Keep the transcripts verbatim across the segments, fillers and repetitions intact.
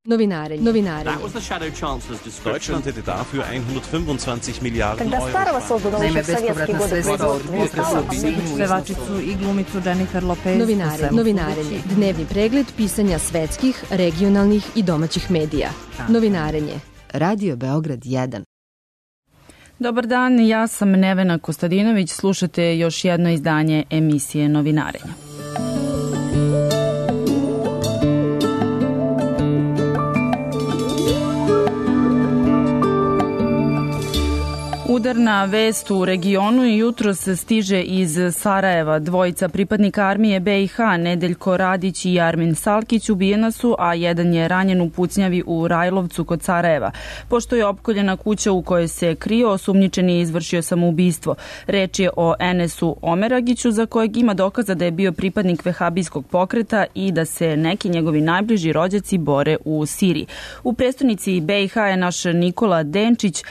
Novinarenje. Novinarenje. That was the Shadow Chancellor's description. Deutschland hätte dafür hundertfünfundzwanzig Miliarden Когда старого создано Naime, еще в советские годы производства. Pevačicu i glumicu Jennifer Lopez. Novinarenje. Novinarenje. Dnevni pregled pisanja svetskih, regionalnih i domaćih medija. Novinarenje. Radio Beograd jedan. Dobar dan, ja sam Nevena Kostadinović, slušate još jedno izdanje emisije Novinarenja. Udarna vest u regionu i jutros stiže iz Sarajeva. Dvojica pripadnika armije be i ha, Nedeljko Radić i Armin Salkić, ubijena su, a jedan je ranjen u pucnjavi u Rajlovcu kod Sarajeva. Pošto je opkoljena kuća u kojoj se krio, osumnjičeni je izvršio samoubistvo. Reč je o Enesu Omeragiću, za kojeg ima dokaza da je bio pripadnik vehabijskog pokreta i da se neki njegovi najbliži rođaci bore u Siriji. U prestonici be i ha je naš Nikola Denčić.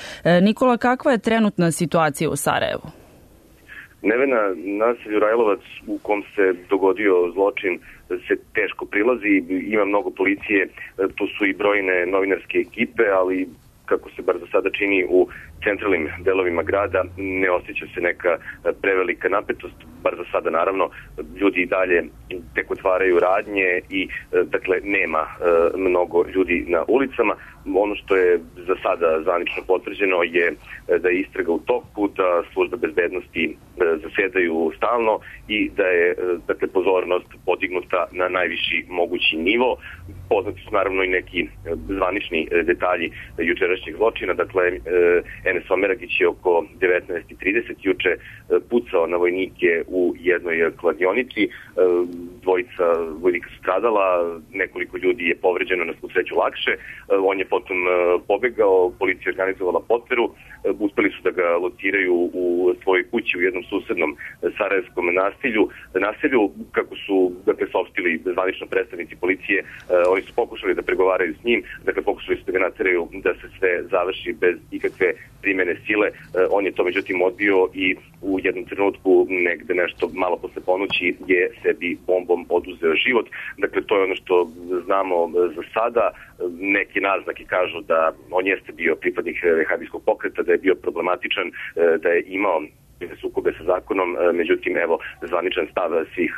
Nikola, kakva je trenutna situacija u Sarajevu? Nevena, naselju Rajlovac u kom se dogodio zločin se teško prilazi, ima mnogo policije, tu su i brojne novinarske ekipe, ali kako se bar za sada čini u centralnim delovima grada, ne osjeća se neka prevelika napetost, bar za sada naravno, ljudi i dalje tek otvaraju radnje i dakle nema mnogo ljudi na ulicama. Ono što je za sada zvanično potvrđeno je da je istraga u toku, da službe bezbednosti zasedaju stalno i da je dakle pozornost podignuta na najviši mogući nivo. Poznati su naravno i neki zvanični detalji jučerašnjeg zločina. Dakle, Enes Omeragić je oko devetnaest i trideset juče pucao na vojnike u jednoj kladionici. Dvojica vojnika su stradala, nekoliko ljudi je povređeno, na svu sreću lakše. On je potom pobegao, policija je organizovala potveru, uspeli su da ga lociraju u svojoj kući u jednom susednom sarajevskom naselju. Naselju, kako su dakle, saopštili zvanično predstavnici policije, oni su pokušali da pregovaraju s njim, dakle pokušali su da ga nateraju da se sve završi bez ikakve primene sile. On je to međutim odbio i u jednom trenutku, negde nešto malo posle ponoći, je sebi bombom oduzeo život. Dakle, to je ono što znamo za sada. Neki naznaki kažu da on jeste bio pripadnik vehabijskog pokreta, da je bio problematičan, da je imao sukobe sa zakonom, međutim, evo, zvaničan stav svih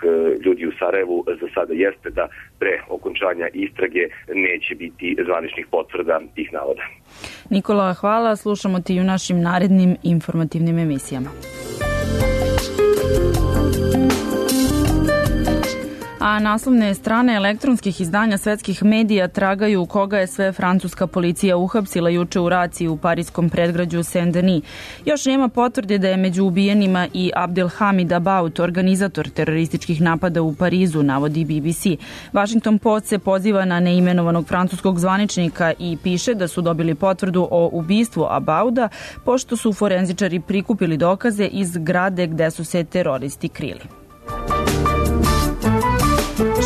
ljudi u Sarajevu za sada jeste da pre okončanja istrage neće biti zvaničnih potvrda tih navoda. Nikola, hvala. Slušamo ti u našim narednim informativnim emisijama. A naslovne strane elektronskih izdanja svetskih medija tragaju koga je sve francuska policija uhapsila juče u raciji u pariskom predgrađu Saint-Denis. Još nema potvrde da je među ubijenima i Abdelhamid Abaoud, organizator terorističkih napada u Parizu, navodi be be ce. Washington Post se poziva na neimenovanog francuskog zvaničnika i piše da su dobili potvrdu o ubistvu Abauda, pošto su forenzičari prikupili dokaze iz zgrade gde su se teroristi krili.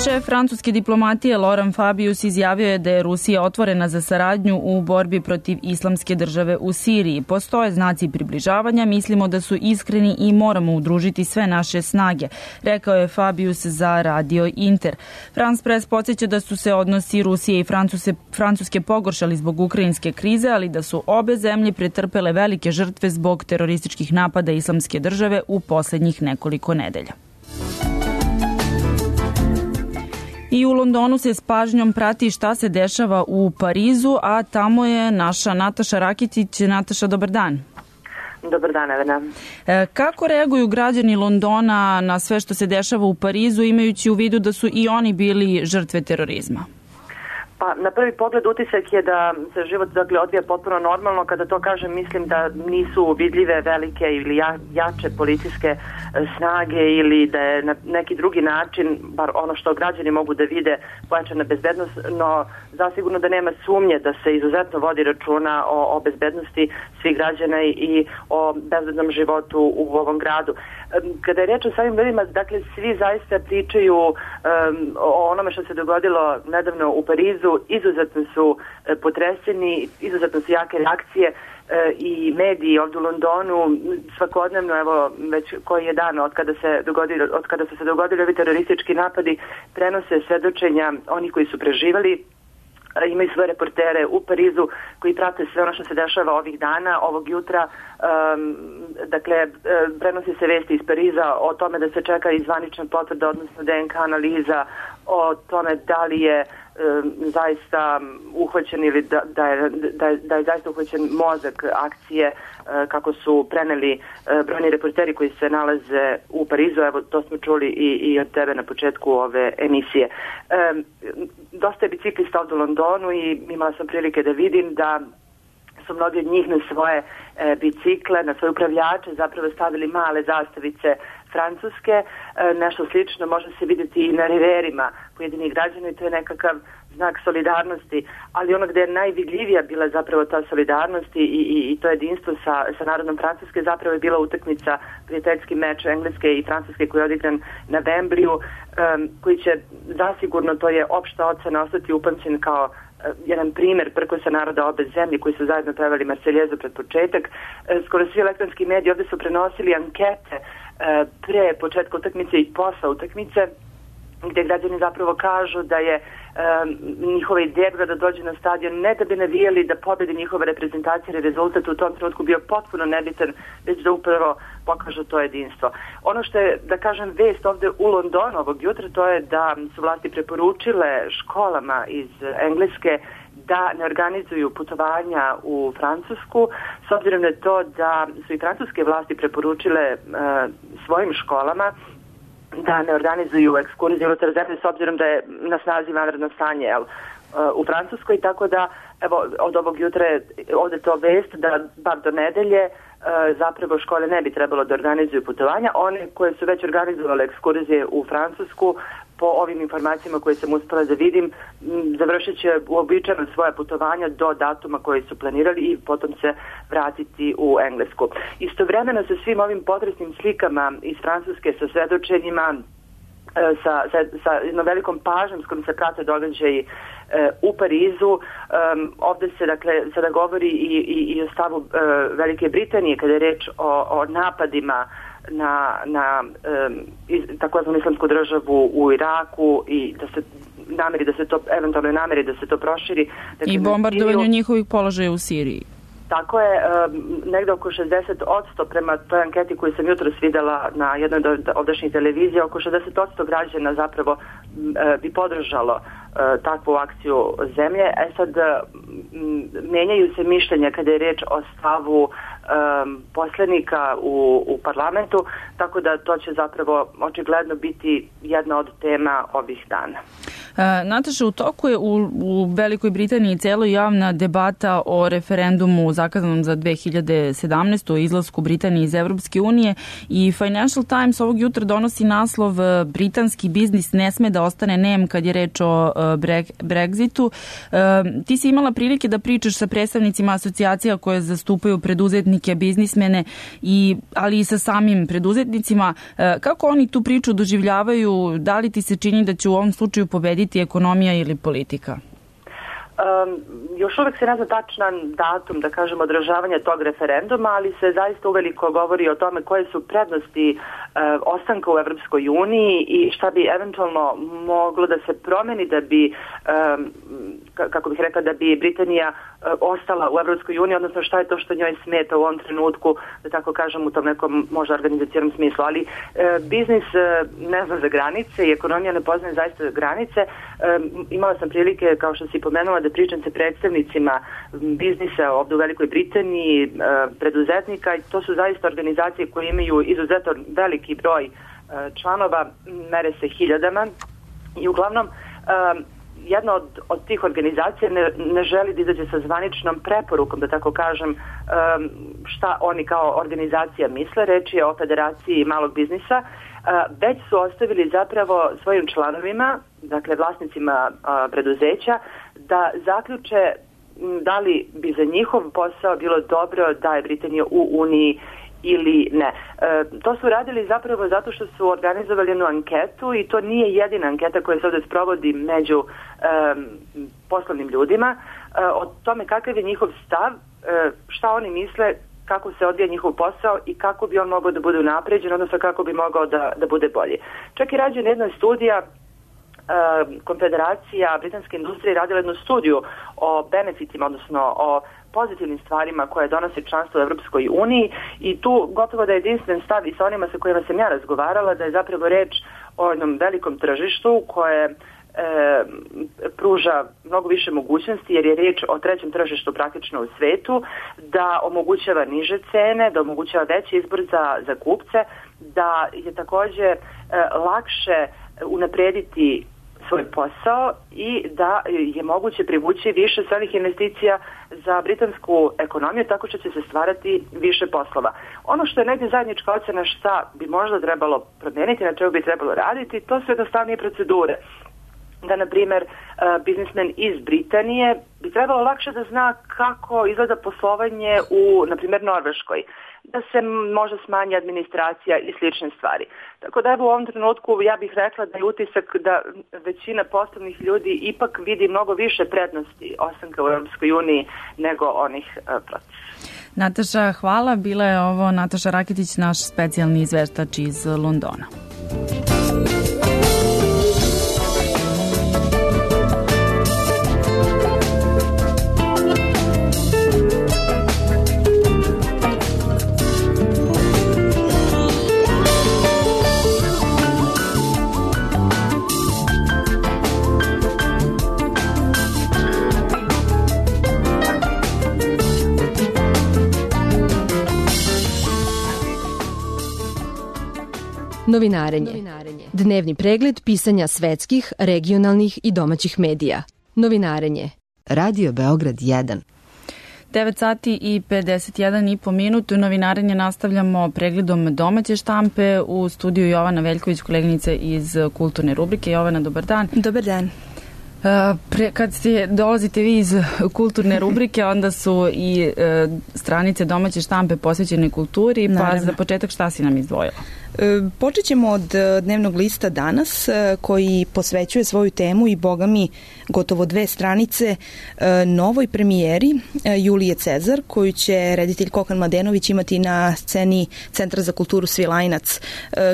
Šef francuske diplomatije Laurent Fabius izjavio je da je Rusija otvorena za saradnju u borbi protiv islamske države u Siriji. Postoje znaci približavanja, mislimo da su iskreni i moramo udružiti sve naše snage, rekao je Fabius za Radio Inter. France Press podsjeća da su se odnosi Rusije i Francuse, Francuske pogoršali zbog ukrajinske krize, ali da su obe zemlje pretrpele velike žrtve zbog terorističkih napada islamske države u poslednjih nekoliko nedelja. I u Londonu se s pažnjom prati šta se dešava u Parizu, a tamo je naša Nataša Rakitić. Nataša, dobar dan. Dobar dan, Evena. E, kako reaguju građani Londona na sve što se dešava u Parizu, imajući u vidu da su i oni bili žrtve terorizma? Pa, na prvi pogled utisak je da se život dakle, odvija potpuno normalno. Kada to kažem, mislim da nisu vidljive velike ili ja, jače policijske snage ili da je na neki drugi način, bar ono što građani mogu da vide, pojačana bezbednost, no zasigurno da nema sumnje da se izuzetno vodi računa o, o bezbednosti svih građana i o bezbednom životu u ovom gradu. Kada je reč o samim ljudima, dakle, svi zaista pričaju um, o onome što se dogodilo nedavno u Parizu. Izuzetno su potreseni, izuzetno su jake reakcije i mediji ovdje u Londonu svakodnevno, evo već koji je dan od kada se dogodilo, od kada su se dogodili ovi teroristički napadi, prenose svedočenja onih koji su preživali, imaju svoje reportere u Parizu koji prate sve ono što se dešava ovih dana, ovog jutra. Um, dakle, prenosi se vesti iz Pariza o tome da se čeka i zvanična potvrda, odnosno D N K analiza, o tome da li je um, zaista uhvaćen ili da, da, je, da, je, da je zaista uhvaćen mozak akcije, uh, kako su preneli uh, brojni reporteri koji se nalaze u Parizu. Evo, to smo čuli i, i od tebe na početku ove emisije. Um, dosta je biciklista ovdje u Londonu i imala sam prilike da vidim da su mnogi od njih na svoje e, bicikle, na svoje upravljače zapravo stavili male zastavice francuske. E, nešto slično može se vidjeti i na riverima pojedinih građana i to je nekakav znak solidarnosti, ali ono gdje je najvidljivija bila zapravo ta solidarnost i, i, i to jedinstvo sa, sa narodom Francuske zapravo je bila utakmica, prijateljski meč Engleske i Francuske koji je odigran na Wembleyu, um, koji će zasigurno, to je opšta ocena, ostati upamćen kao uh, jedan primjer prkosa naroda obe zemlje koji su zajedno pevali Marseljezu pred početak. Uh, skoro svi elektronski mediji ovdje su prenosili ankete uh, pre početka utakmice i posle utakmice, gdje građani zapravo kažu da je um, njihova ideja da dođe na stadion ne da bi navijali da pobedi njihova reprezentacija ili rezultat u tom trenutku bio potpuno nebitan, već da upravo pokažu to jedinstvo. Ono što je, da kažem, vest ovdje u Londonu ovog jutra, to je da su vlasti preporučile školama iz Engleske da ne organizuju putovanja u Francusku, s obzirom na to da su i francuske vlasti preporučile uh, svojim školama da ne organizuju ekskurzije unutar zemlje s obzirom da je na snazi vanredno stanje jel, u Francuskoj, tako da evo, od ovog jutra je ovdje to vest da bar do nedelje zapravo škole ne bi trebalo da organizuju putovanja. One koje su već organizovale ekskurzije u Francusku, po ovim informacijama koje sam uspela da vidim, završit će uobičajeno svoje putovanja do datuma koje su planirali i potom se vratiti u Englesku. Istovremeno sa svim ovim potresnim slikama iz Francuske, sa svedočenjima, sa, sa, sa jednom velikom pažnjom s kojom se prate događaji e, u Parizu. Um, ovdje se dakle sada govori i, i, i o stavu e, Velike Britanije kada je reč o, o napadima na, na e, takozvanu islamsku državu u Iraku i da se nameri da se to, eventualno nameri da se to proširi. Dakle, i bombardovanju njihovih položaja u Siriji. Tako je, negdje oko šezdeset posto prema toj anketi koju sam jutros vidjela na jednoj od ovdašnjih televizija, oko šezdeset posto građana zapravo bi podržalo takvu akciju zemlje. E sad, menjaju se mišljenja kada je reč o stavu um, poslanika u, u parlamentu, tako da to će zapravo očigledno biti jedna od tema ovih dana. E, Nataša, u toku je u, u Velikoj Britaniji celo javna debata o referendumu zakazanom za dve hiljade sedamnaestu. o izlasku Britanije iz Evropske unije i Financial Times ovog jutra donosi naslov britanski biznis ne sme da ostane nem kad je reč o Brexitu. E, ti si imala prilike da pričaš sa predstavnicima asocijacija koje zastupaju preduzetnike, biznismene, i, ali i sa samim preduzetnicima. E, kako oni tu priču doživljavaju? Da li ti se čini da će u ovom slučaju pobediti ekonomija ili politika? Um, još uvijek se ne zna tačan datum, da kažem, održavanja tog referenduma, ali se zaista uveliko govori o tome koje su prednosti uh, ostanka u Evropskoj uniji i šta bi eventualno moglo da se promeni da bi, um, kako bih rekla, da bi Britanija uh, ostala u Evropskoj uniji, odnosno šta je to što njoj smeta u ovom trenutku, da tako kažem, u tom nekom možda organizacijom smislu. Ali uh, biznis uh, ne zna za granice i ekonomija ne poznaje zaista granice. Um, imala sam prilike, kao što si pomenula, da pričam sa predstavnicima biznisa ovdje u Velikoj Britaniji, preduzetnika, i to su zaista organizacije koje imaju izuzetno veliki broj članova, mere se hiljadama, i uglavnom jedna od, od tih organizacija ne, ne želi da izađe sa zvaničnom preporukom, da tako kažem, šta oni kao organizacija misle. Reč je o Federaciji malog biznisa. Već su ostavili zapravo svojim članovima, dakle vlasnicima preduzeća, da zaključe da li bi za njihov posao bilo dobro da je Britanija u Uniji ili ne. E, to su radili zapravo zato što su organizovali jednu anketu, i to nije jedina anketa koja se ovdje sprovodi među e, poslovnim ljudima, e, o tome kakav je njihov stav, e, šta oni misle, kako se odvija njihov posao i kako bi on mogao da bude unapređen, odnosno kako bi mogao da, da bude bolji. Čak i rađena jedna studija Konfederacija britanske industrije radila jednu studiju o benefitima, odnosno o pozitivnim stvarima koje donosi članstvo u Evropskoj uniji i tu gotovo da je jedinstven stav i sa onima sa kojima sam ja razgovarala da je zapravo reč o jednom velikom tržištu koje e, pruža mnogo više mogućnosti jer je reč o trećem tržištu praktično u svetu, da omogućava niže cene, da omogućava veći izbor za, za kupce, da je takođe e, lakše unaprediti svoj posao i da je moguće privući više stranih investicija za britansku ekonomiju tako što će se stvarati više poslova. Ono što je negdje zajednička ocena šta bi možda trebalo promijeniti, na čemu bi trebalo raditi, to su jednostavnije procedure. Da, na primjer, biznismen iz Britanije bi trebalo lakše da zna kako izgleda poslovanje u, na primjer, Norveškoj, da se možda smanji administracija i slične stvari. Tako da evo u ovom trenutku ja bih rekla da je utisak da većina poslovnih ljudi ipak vidi mnogo više prednosti ostanka u Europskoj uniji nego onih uh, protiv. Nataša, hvala. Bila je ovo Nataša Raketić, naš specijalni izveštač iz Londona. Novinarenje. Dnevni pregled pisanja svetskih, regionalnih i domaćih medija. Novinarenje. Radio Beograd jedan. devet sati i pedeset jedan i po minutu. Novinarenje nastavljamo pregledom domaće štampe. U studiju Jovana Veljković, koleginica iz kulturne rubrike. Jovana, dobar dan. Dobar dan. Pre, kad ste, dolazite vi iz kulturne rubrike, onda su i e, stranice domaće štampe posvećene kulturi, Naravno. Pa za početak šta si nam izdvojila? Počet ćemo od dnevnog lista Danas, koji posvećuje svoju temu i boga mi gotovo dve stranice novoj premijeri Julije Cezar, koju će reditelj Kokan Mladenović imati na sceni Centra za kulturu Svilajnac.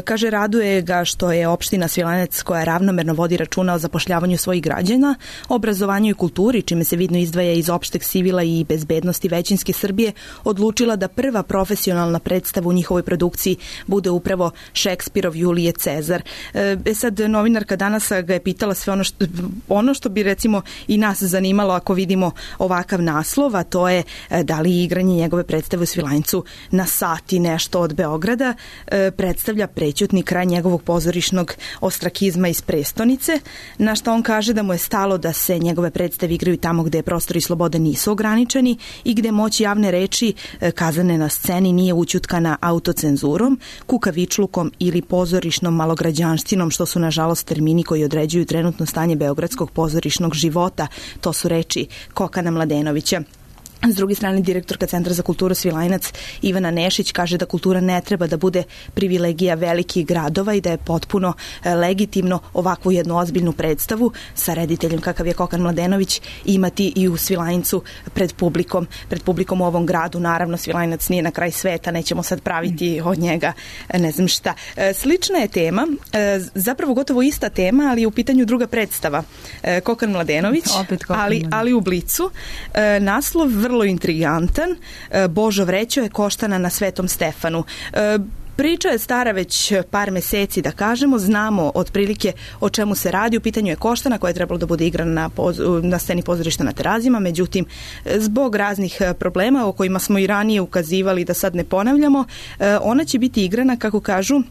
Kaže, raduje ga što je opština Svilajnac, koja ravnomerno vodi računa o zapošljavanju svojih građana, obrazovanju i kulturi, čime se vidno izdvaja iz opšteg civila i bezbednosti većinske Srbije, odlučila da prva profesionalna predstava u njihovoj produkciji bude upravo Šekspirov Julije Cezar. E sad, novinarka Danas ga je pitala sve ono što, ono što bi recimo i nas zanimalo ako vidimo ovakav naslov, a to je da li igranje njegove predstave u Svilajncu na sati nešto od Beograda e, predstavlja prećutni kraj njegovog pozorišnog ostrakizma iz prestonice, na što on kaže da mu je stalo da se njegove predstave igraju tamo gde prostori slobode nisu ograničeni i gde moć javne reči e, kazane na sceni nije ućutkana autocenzurom, kukavičlukom ili pozorišnom malograđanštinom, što su nažalost termini koji određuju trenutno stanje beogradskog pozorišnog života. To su reči Kokana Mladenovića. S druge strane, direktorka Centra za kulturu Svilajnac Ivana Nešić kaže da kultura ne treba da bude privilegija velikih gradova i da je potpuno legitimno ovakvu jednu ozbiljnu predstavu sa rediteljem kakav je Kokan Mladenović imati i u Svilajncu pred publikom, pred publikom u ovom gradu. Naravno, Svilajnac nije na kraj sveta, nećemo sad praviti od njega ne znam šta. Slična je tema, zapravo gotovo ista tema, ali je u pitanju druga predstava. Kokan Mladenović, ali, ali u Blicu. Naslov vrlo intrigantan. Božo Vrećo je Koštana na Svetom Stefanu. Priča je stara već par meseci, da kažemo, znamo otprilike o čemu se radi. U pitanju je Koštana koja je trebalo da bude igrana na, poz, na sceni pozorišta na Terazijama, međutim, zbog raznih problema o kojima smo i ranije ukazivali, da sad ne ponavljamo, ona će biti igrana, kako kažu,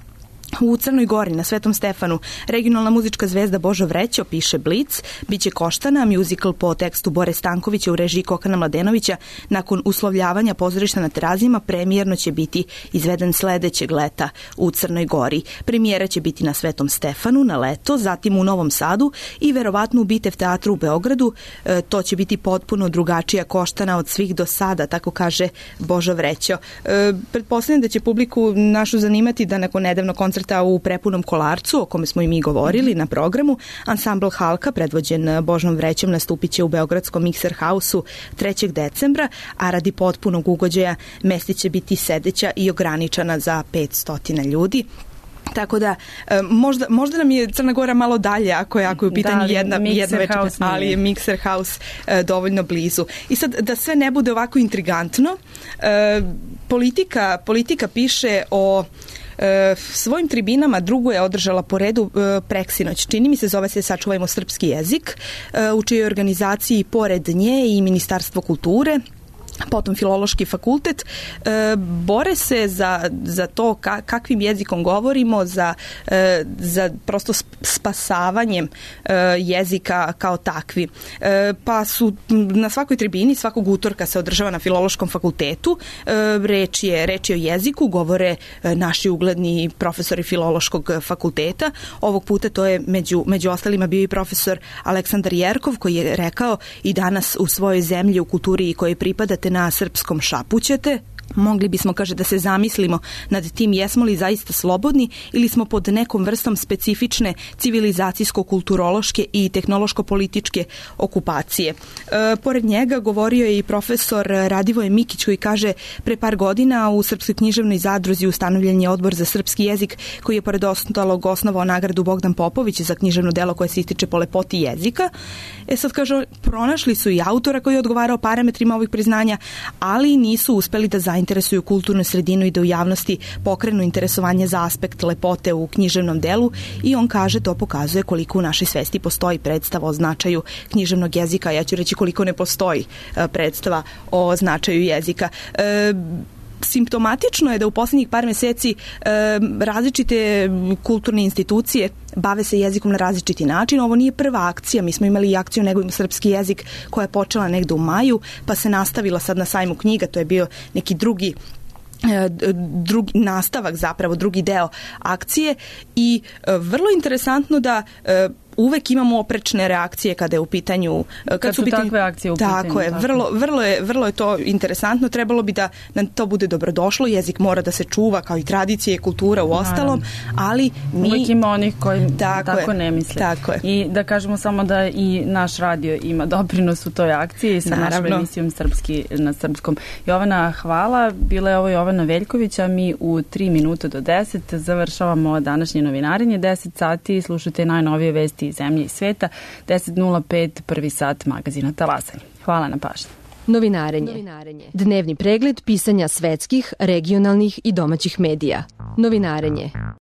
u Crnoj Gori, na Svetom Stefanu. Regionalna muzička zvezda Božo Vrećo, piše Blic, biće Koštana, muzikal po tekstu Bore Stankovića u režiji Kokana Mladenovića. Nakon uslovljavanja pozorišta na Terazijama, premijerno će biti izveden sledećeg leta u Crnoj Gori. Premijera će biti na Svetom Stefanu na leto, zatim u Novom Sadu i verovatno u Bitev teatru u Beogradu. E, to će biti potpuno drugačija Koštana od svih do sada, tako kaže Božo Vrećo. E, pretpostavljam da će publiku našu zanimati da nakon nedavno koncerta u Prepunom Kolarcu, o kome smo i mi govorili na programu, ansambl Halka, predvođen Božom Vrećom, nastupit će u beogradskom Mikser Hausu trećeg decembra, a radi potpunog ugođaja mesti će biti sedeća i ograničena za petsto ljudi. Tako da, možda, možda nam je Crna Gora malo dalje ako je, ako je u pitanju da, jedna, jedna večera, ali je Mixer House dovoljno blizu. I sad, da sve ne bude ovako intrigantno, politika, politika piše o E, svojim tribinama drugu je održala po redu e, preksinoć. Čini mi se, zove se Sačuvajmo srpski jezik, e, u čijoj organizaciji pored nje i Ministarstvo kulture, potom Filološki fakultet, e, bore se za, za to ka, kakvim jezikom govorimo, za, e, za prosto spasavanjem e, jezika kao takvi. E, pa su na svakoj tribini, svakog utorka se održava na Filološkom fakultetu, e, reč, je, reč je o jeziku, govore e, naši ugledni profesori Filološkog fakulteta. Ovog puta to je među, među ostalima bio i profesor Aleksandar Jerkov, koji je rekao i danas u svojoj zemlji, u kulturi kojoj pripadate, na srpskom šapućete. Mogli bismo, kaže, da se zamislimo nad tim jesmo li zaista slobodni ili smo pod nekom vrstom specifične civilizacijsko-kulturološke i tehnološko-političke okupacije. E, pored njega govorio je i profesor Radivoje Mikić, koji kaže, pre par godina u Srpskoj književnoj zadruzi ustanovljen je odbor za srpski jezik, koji je pored ostalog osnovao nagradu Bogdan Popović za književno delo koje se ističe po lepoti jezika. E sad, kaže, pronašli su i autora koji je odgovarao parametrima ovih priznanja, ali nisu uspeli da zainteresuju kulturnu sredinu i da u javnosti pokrenu interesovanje za aspekt lepote u književnom delu, i on kaže, to pokazuje koliko u našoj svesti postoji predstava o značaju književnog jezika. Ja ću reći koliko ne postoji predstava o značaju jezika. E, Simptomatično je da u posljednjih par meseci e, različite kulturne institucije bave se jezikom na različiti način. Ovo nije prva akcija, mi smo imali i akciju Negujmo srpski jezik koja je počela negde u maju, pa se nastavila sad na sajmu knjiga, to je bio neki drugi drugi nastavak, zapravo drugi deo akcije, i vrlo interesantno da uvek imamo oprečne reakcije kada je u pitanju kad, kad su pitanju, takve akcije u pitanju. Tako je, tako. Vrlo, vrlo je, vrlo je to interesantno. Trebalo bi da nam to bude dobrodošlo. Jezik mora da se čuva, kao i tradicije i kultura u ostalom, ali mi... Uvek ima onih koji tako, tako je, ne misle. Tako je. I da kažemo samo da i naš radio ima doprinos u toj akciji sa Naravno. našom emisijom Srpski na srpskom. Jovana, hvala. Bila je ovo Jovana Veljković, a mi u tri minute do deset završavamo današnje novinarenje. deset sati slušate najnovije vesti iz zemlje i sveta. deset nula pet prvi sat magazina Talasanje. Hvala na pažnji. Novinarenje. Novinarenje. Dnevni pregled pisanja svetskih, regionalnih i domaćih medija. Novinarenje.